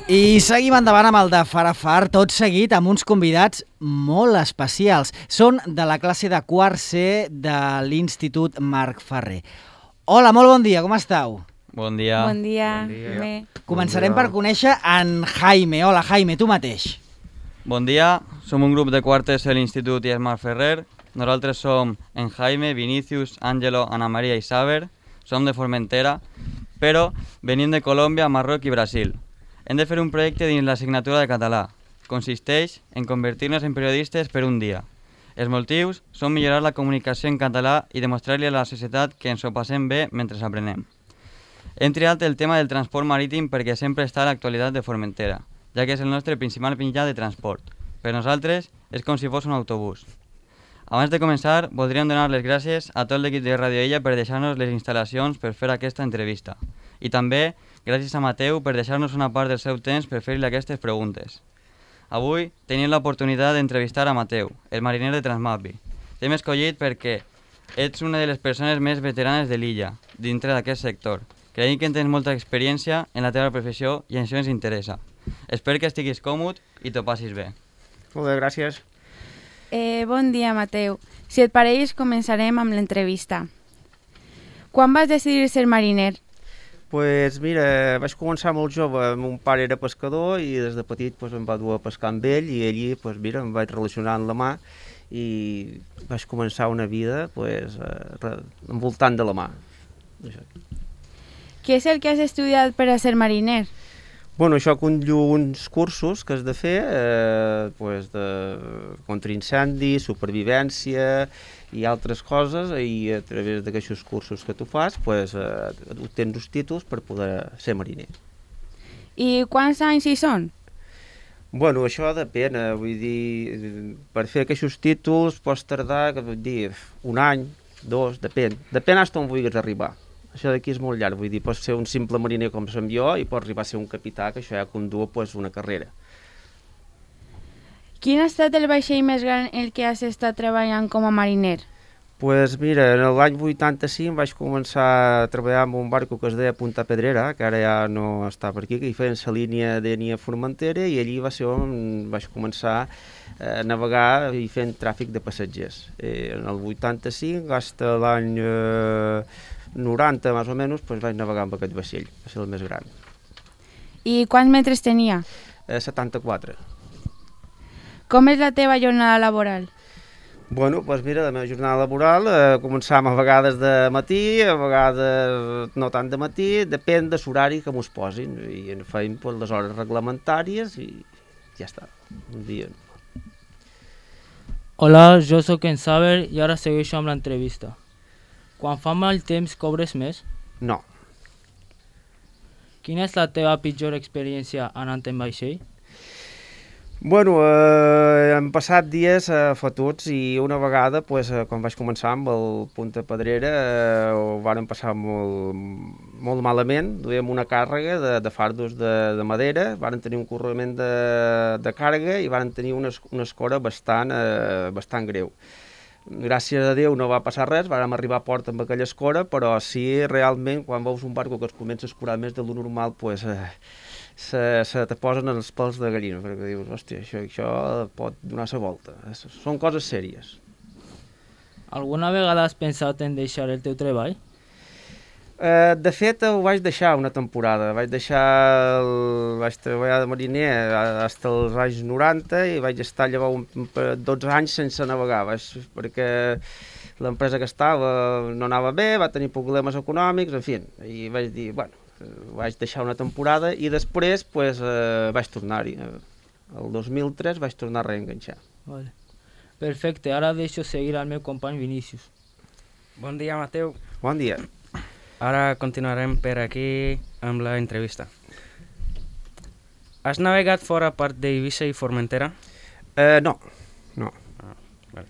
I seguim endavant amb el de Farafar, tot seguit amb uns convidats molt especials. Són de la classe de quart C de l'Institut Marc Ferrer. Hola, molt bon dia, com esteu? Bon dia. Bon dia. Bé. Començarem per conèixer en Jaime. Hola, Jaime, tu mateix. Bon dia, som un grup de quartes a l'Institut Marc Ferrer. Nosaltres som en Jaime, Vinicius, Ángelo, Ana Maria i Saber. Som de Formentera, però venim de Colòmbia, Marroc i Brasil. Hem de fer un projecte dins l'assignatura de català. Consisteix en convertir-nos en periodistes per un dia. Els motius són millorar la comunicació en català i demostrar-li a la societat que ens ho passem bé mentre aprenem. Hem triat el tema del transport marítim perquè sempre està a l'actualitat de Formentera, ja que és el nostre principal mitjà de transport. Per nosaltres és com si fos un autobús. Abans de començar, voldríem donar les gràcies a tot l'equip de Radio Illa per deixar-nos les instal·lacions per fer aquesta entrevista. I també gràcies a Mateu per deixar-nos una part del seu temps per fer-li aquestes preguntes. Avui tenim l'oportunitat d'entrevistar a Mateu, el mariner de Transmapi. T'hem escollit perquè ets una de les persones més veteranes de l'illa, dintre d'aquest sector. Creiem que tens molta experiència en la teva professió i això ens interessa. Espero que estiguis còmode i t'ho passis bé. Molt bé, gràcies. Bon dia, Mateu. Si et pareix, començarem amb l'entrevista. Quan vas decidir ser mariner? Pues mira, vaig començar molt jove, mon pare era pescador i des de petit pues, em va dur a pescar amb ell i allí pues, mira, em vaig relacionar amb la mà i vaig començar una vida pues, envoltant de la mà. Això. Què és el que has estudiat per a ser mariner? Bueno, això conllev uns cursos que has de fer pues, de contra incendis, supervivència i altres coses i a través d'aquests cursos que tu fas pues, obtens els títols per poder ser mariner. I quants anys hi són? Bueno, això depèn, vull dir, per fer aquests títols pots tardar, vull dir, un any, dos, depèn fins on vulguis arribar. Això d'aquí és molt llarg, vull dir, pots ser un simple mariner com som jo i pots arribar a ser un capità, que això ja condu pues, una carrera. Quin ha estat el vaixell més gran en el que has estat treballant com a mariner? Pues mira, en l'any 85 vaig començar a treballar amb un barco que es deia Punta Pedrera, que ara ja no està per aquí, que hi feien la línia d'Enia-Formentera i allí va ser on vaig començar a navegar i fent tràfic de passatgers. En el 85, fins a l'any 90 més o menys, pues, vaig navegar amb aquest vaixell, va ser el més gran. I quants metres tenia? 74. Com és la teva jornada laboral? Bueno, doncs mira, la meva jornada laboral començàvem a vegades de matí, a vegades no tant de matí, depèn de l'horari que mos posin i en feim pues, les hores reglamentàries i ja està, un dia. Hola, jo sóc en Saber i ara segueixo amb l'entrevista. Quan fa mal temps cobres més? No. Quina és la teva pitjor experiència anant en vaixell? Bueno, han passat dies fotuts i una vegada, pues, quan vaig començar amb el Punta Pedrera, ho vàrem passar molt malament. Duíem una càrrega de fardos de madera, vàrem tenir un correment de càrrega i vàrem tenir una escora bastant greu. Gràcies a Déu no va passar res, vàrem arribar a port amb aquella escora, però sí, realment, quan veus un barco que es comença a escurar més de lo normal, pues, se te posen els pèls de gallina, perquè dius, hòstia, això pot donar la volta. Són coses sèries. Alguna vegada has pensat en deixar el teu treball? De fet, ho vaig deixar una temporada. Vaig treballar de mariner fins als anys 90 i vaig estar llavors 12 anys sense navegar, perquè l'empresa que estava no anava bé, va tenir problemes econòmics, en fi, i vaig dir, bueno, vaig deixar una temporada i després pues, vaig tornar-hi. El 2003 vaig tornar a reenganxar. Vale. Perfecte, ara deixo seguir al meu company Vinicius. Bon dia, Mateu. Bon dia. Ara continuarem per aquí amb la entrevista. Has navegat fora part d'Eivissa i Formentera? No. Vale.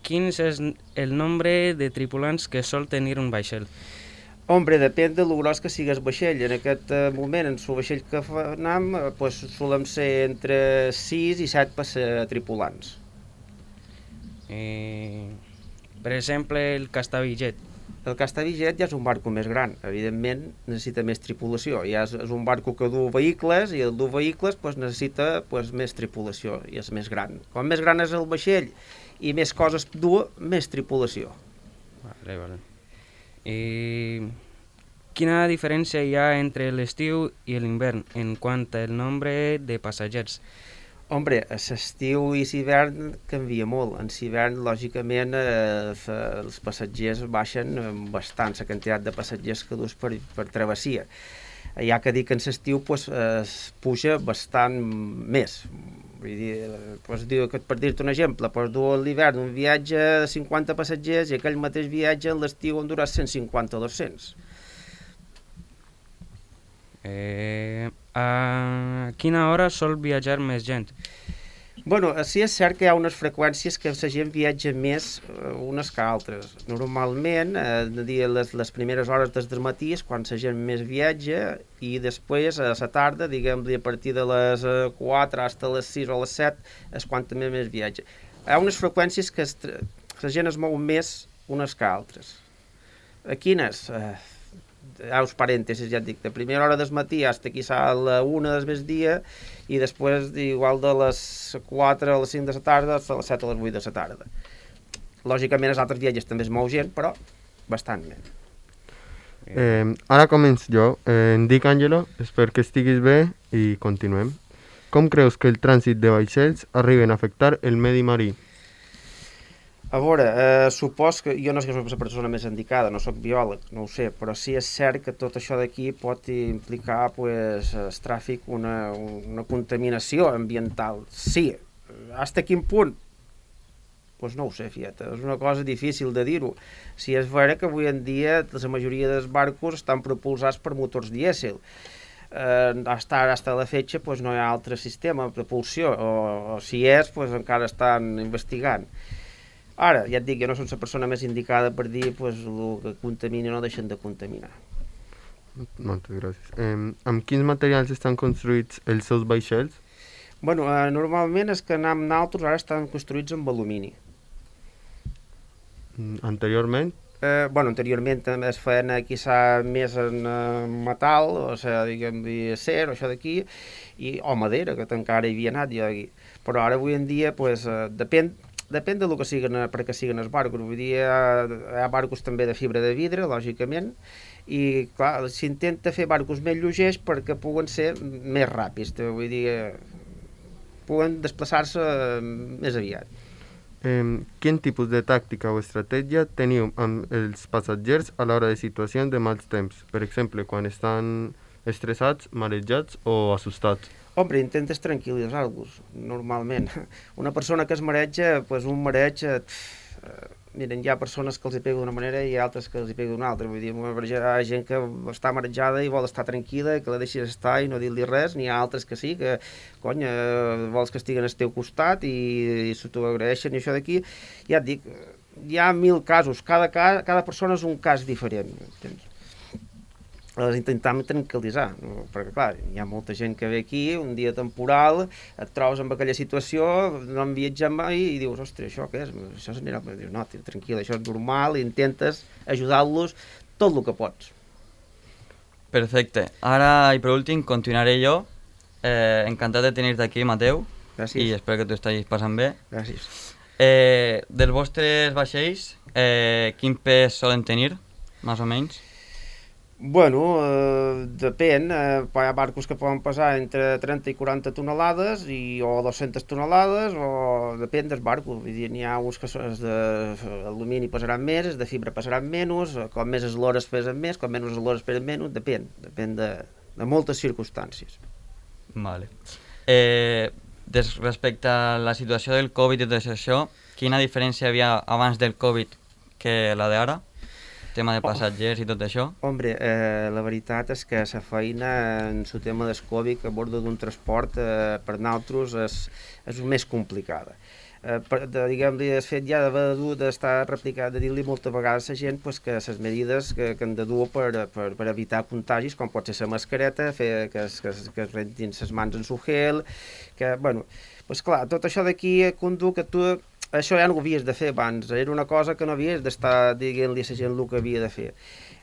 Quin és el nombre de tripulants que sol tenir un vaixell? Hombre, depèn de lo gros que sigui el vaixell. En aquest moment, en el vaixell que anem, pues, solem ser entre 6 i 7 tripulants. Per exemple, el Castavillet. El que està vigent ja és un barco més gran, evidentment necessita més tripulació, ja és un barco que du vehicles i el dur vehicles pues, necessita pues, més tripulació i és més gran. Com més gran és el vaixell i més coses du, més tripulació. Vale. I quina diferència hi ha entre l'estiu i l'hivern en quant al nombre de passatgers? Hombre, a l'estiu i l'hivern canvia molt. En l'hivern, lògicament, els passatgers baixen bastant, la quantitat de passatgers que dus per travessia. Hi ha que dir que en l'estiu pues, puja bastant més. Vull dir, per dir-te un exemple, pots dur a l'hivern un viatge de 50 passatgers i aquell mateix viatge a l'estiu en durà 150 o 200. A quina hora sol viatjar més gent? Bueno, sí és cert que hi ha unes freqüències que la gent viatja més unes que altres. Normalment, les primeres hores del matí és quan la gent més viatja i després a la tarda, diguem-li a partir de les 4 fins a les 6 o les 7 és quan també més viatja. Hi ha unes freqüències que la gent es mou més unes que altres. A quines? Els parèntesis, ja et dic, de primera hora del matí fins quizà a la 1 del migdia i després igual de les 4 a les 5 de la tarda fins a les 7 a les 8 de la tarda. Lògicament els altres viatges també es mou gent, però bastant menys. Ara començo jo. Em dic Àngelo, espero que estiguis bé i continuem. Com creus que el trànsit de vaixells arriben a afectar el medi marí? A veure, supos que jo no sé que soc la persona més indicada, no soc biòleg, no ho sé, però sí és cert que tot això d'aquí pot implicar pues, el tràfic, una contaminació ambiental. Sí, fins a quin punt? Pues no ho sé, fieta, és una cosa difícil de dir-ho. Si és vera que avui en dia la majoria dels barcos estan propulsats per motors dièsel. Hasta la fetge pues, no hi ha altre sistema de propulsió, o si és, pues, encara estan investigant. Ara, ja et dic, jo no soc la persona més indicada per dir pues, el que contamina no deixen de contaminar. Moltes gràcies. Amb quins materials estan construïts els seus vaixells? Bueno, normalment els que anem nosaltres ara estan construïts amb alumini. Anteriorment? Anteriorment també es feien quizà més en metal, o sigui, diguem-li acer, o això d'aquí, o madera, que encara hi havia anat jo aquí. Però ara avui en dia, pues, depèn del que siguen, per què siguen els barcos. Vull dir, hi ha barcos també de fibra de vidre, lògicament, i clar, s'intenta fer barcos més lleugers perquè puguen ser més ràpids, vull dir, puguen desplaçar-se més aviat. Quin tipus de tàctica o estratègia teniu amb els passatgers a l'hora de situacions de mals temps? Per exemple, quan estan estressats, marejats o assustats? Hombre, intentes tranquil·litzar-los, normalment. Una persona que es mareja, pues un mareig... Miren, hi ha persones que els hi pega d'una manera i altres que els hi pega d'una altra. Vull dir, hi ha gent que està marejada i vol estar tranquil·la, que la deixis estar i no dir-li res, n'hi ha altres que sí, que, cony, vols que estiguen al teu costat i s'ho agraeixen i això d'aquí. Ja et dic, hi ha 1000 casos, cada persona és un cas diferent, entens? Les intentem tranquil·litzar, no? Perquè clar, hi ha molta gent que ve aquí, un dia temporal, et trobes amb aquella situació, no han viatjat mai i dius, ostres, això què és? Això s'anirà... Dius, no, tranquil, això és normal, i intentes ajudar-los tot el que pots. Perfecte. Ara, i per últim, continuaré jo. Encantat de tenir-te aquí, Mateu. Gràcies. I espero que t'ho estiguis passant bé. Gràcies. Dels vostres vaixells, quin pes solen tenir, més o menys? Bueno, depèn, hi ha barcos que poden pesar entre 30 i 40 tonelades o 200 tonelades, o depèn del barco. Vull dir, n'hi ha uns que d'alumini pesaran més, els de fibra pesaran menys, com més eslores pesen més, com menys eslores pesen menys, depèn de moltes circumstàncies. Vale. Respecte a la situació del Covid i tot això, quina diferència hi havia abans del Covid que la d'ara? Tema de passatgers i tot això? Hombre, la veritat és que la feina en el tema del Covid a bord d'un transport per nosaltres és més complicada. Diguem-li, el fet ja d'estar replicat, de dir-li moltes vegades a la gent pues, que les medides que han de dur per evitar contagis, com pot ser la mascareta, fer que es rentin les mans en su gel, que, bueno, pues clar, tot això d'aquí conduc que tu això ja no ho havies de fer abans, era una cosa que no havies d'estar dient-li a la gent el que havia de fer.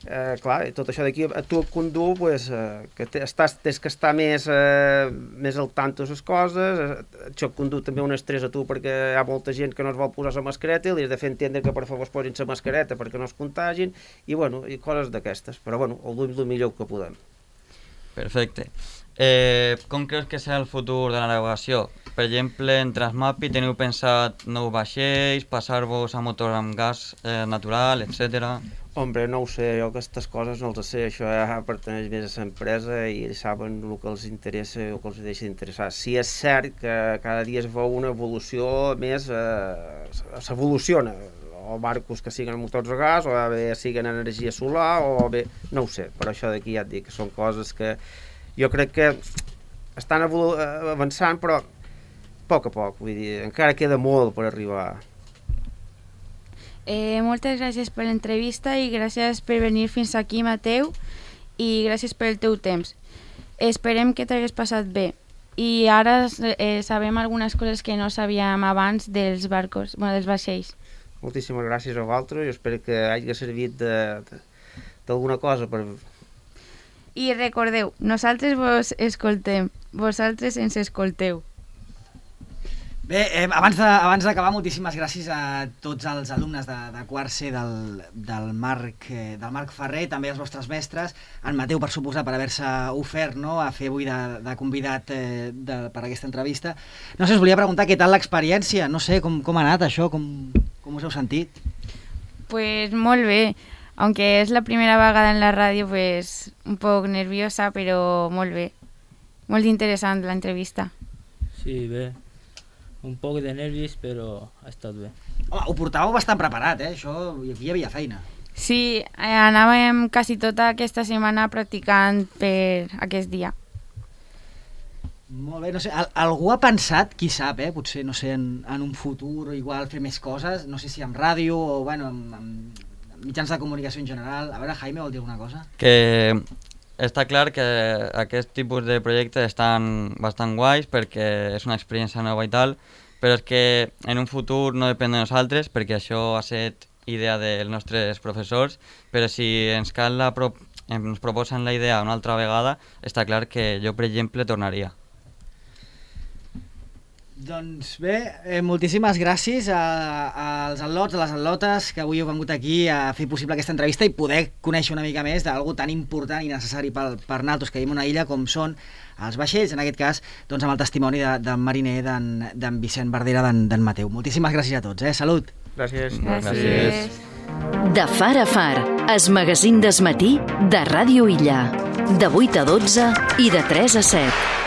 Clar, tot això d'aquí a tu et condu, pues, que tens que estar més al tanto de les coses, això et condu també un estrès a tu perquè hi ha molta gent que no es vol posar la mascareta i li has de fer entendre que per favor es posin la mascareta perquè no es contagin i, bueno, i coses d'aquestes, però bueno, ho duim el millor que podem. Perfecte. Com creus que serà el futur de la navegació? Per exemple, en Transmapi teniu pensat nous vaixells, passar-vos a motor amb gas natural, etc. Hombre, no ho sé, jo aquestes coses no els sé, això ja pertaneix més a l'empresa i saben el que els interessa o que els deixa d'interessar. Sí, és cert que cada dia es veu una evolució més, s'evoluciona, o barcos que siguin motors a gas, o bé siguin energia solar, o bé, no ho sé, però això d'aquí ja et dic que són coses que jo crec que estan avançant, però a poc, vull dir, encara queda molt per arribar. Moltes gràcies per l'entrevista i gràcies per venir fins aquí, Mateu, i gràcies pel teu temps. Esperem que t'hagués passat bé. I ara sabem algunes coses que no sabíem abans dels barcos, dels vaixells. Moltíssimes gràcies a vosaltres i espero que hagi servit d'alguna cosa per... I recordeu, nosaltres vos escoltem, vosaltres ens escolteu. Bé, abans d'acabar, moltíssimes gràcies a tots els alumnes de quart C del Marc Ferrer, també als vostres mestres, en Mateu, per suposar, per haver-se ofert, no?, a fer avui de convidat per aquesta entrevista. No sé, us volia preguntar què tal l'experiència, no sé, com ha anat això, com us heu sentit? Pues molt bé, aunque es la primera vegada en la ràdio, pues un poc nerviosa, però molt bé. Molt interessant l'entrevista. Sí, bé. Un poc de nervis, però ha estat bé. Home, ho portàveu bastant preparat, això, hi havia feina. Sí, anàvem quasi tota aquesta setmana practicant per aquest dia. Molt bé, no sé, algú ha pensat, qui sap, potser, no sé, en un futur igual fer més coses, no sé si amb ràdio o, bueno, amb mitjans de comunicació en general. A veure, Jaime, vol dir alguna cosa? Que està clar que aquest tipus de projectes estan bastant guais perquè és una experiència nova i tal, però és que en un futur no depèn de nosaltres perquè això ha estat idea dels nostres professors, però si ens proposen la idea una altra vegada, està clar que jo, per exemple, tornaria. Doncs bé, moltíssimes gràcies als atlots, a les atlotes que avui heu vingut aquí a fer possible aquesta entrevista i poder conèixer una mica més d'algú tan important i necessari per nosaltres que vivim a una illa com són els vaixells, en aquest cas doncs amb el testimoni del mariner d'en Vicent Verdera, d'en Mateu. Moltíssimes gràcies a tots, salut! Gràcies. Gràcies. De Far a Far, es magazín d'esmatí de Ràdio Illa, de 8 a 12 i de 3 a 7.